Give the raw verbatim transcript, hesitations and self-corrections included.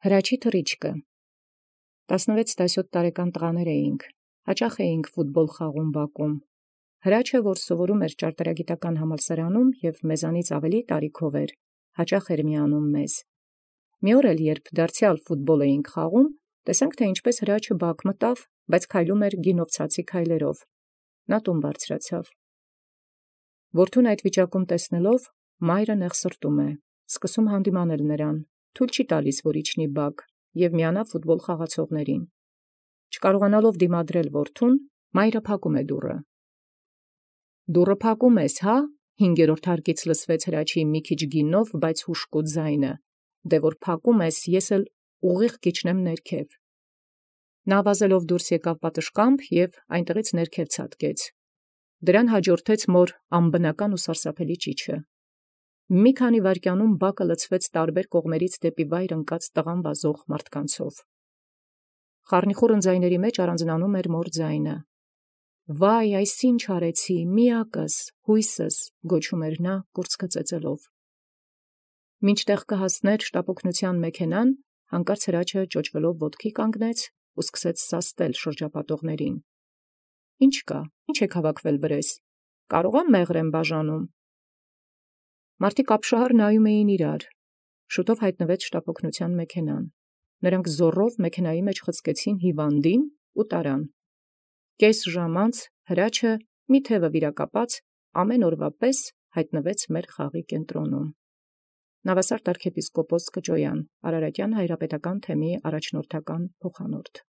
Հրաչի թռիչքը տասնվեց տասնյոթ տարեկան տղաներ էինք, հաճախ էինք ֆուտբոլ խաղում Բաքվում։ Հրաչը, որ սովորում էր ճարտարագիտական համալսարանում և մեզանից ավելի տարիքով էր, հաճախ էր միանում մեզ։ Մի օր էլ, երբ դարձյալ ֆուտբոլ էինք խաղում, տեսանք, թե ինչպես հրաչը Բաք մտավ, բայց քայլում էր գինով ցածի քայլերով։ Նա տուն բարձրացավ։ Որդուն այդ վիճակում տեսնելով, մայրը նեղսրտում է, սկսում հանդիմանել նրան, թույլ չի տալիս, որ իջնի Բաք և միանա ֆուտբոլ խաղացողներին։ Չկարողանալով դիմադրել որդուն, մայրը փակում է դուռը։ «Դուռը փակում ես, հա՞, հինգերորդ հարկից լսվեց հրաչի մի քիչ գինով, բայց հուժկոտ ձայնը, դե որ փակում ես, ես էլ ուղիղ կիջնեմ ներքև»։ Նա ավազելով դուրս եկավ պատշգամբ և այնտեղից ներքև ցատկեց։ Դրան հաջորդեց մոր անբնական ու սարսափելի ճիչը։ Մի քանի վայրկյանում Բակը լցվեց տարբեր կողմերից դեպի վայր ընկած տղան վազող մարդկանցով։ Խառնիխուռն ձայների մեջ առանձնանում էր մոր ձայնը։ «Վայ, այս ինչ արեցի, միակս, հույսս», գոչում էր նա կուրծքը ծեծելով։ Մինչդեռ կհասներ շտապօգնութեան մեքենան, հանկարծ հրաչը ճոճվելով ոտքի կանգնեց ու սկսեց սաստել շրջապատողներին։ «Ինչ կա, ինչ եք հավաքվել վրես, կարո՞ղ ամ մեղր եմ բաժանում»։ Մարդիկ ապշահար նայում էին իրար։ Շուտով հայտնվեց շտապօգնութեան մեքենան։ Նրանք զոռով մեքենայի մեջ խցկեցին հիվանդին ու տարան։ Կես ժամ անց հրաչը, մի թևը վիրակապած, ամեն օրվա պես հայտնվեց մեր խաղի կենտրոնում։ Նավասարդ արքեպիսկոպոս Կճոյան, Արարատյան հայրապետական թեմի առաջնորդական փոխանորդ։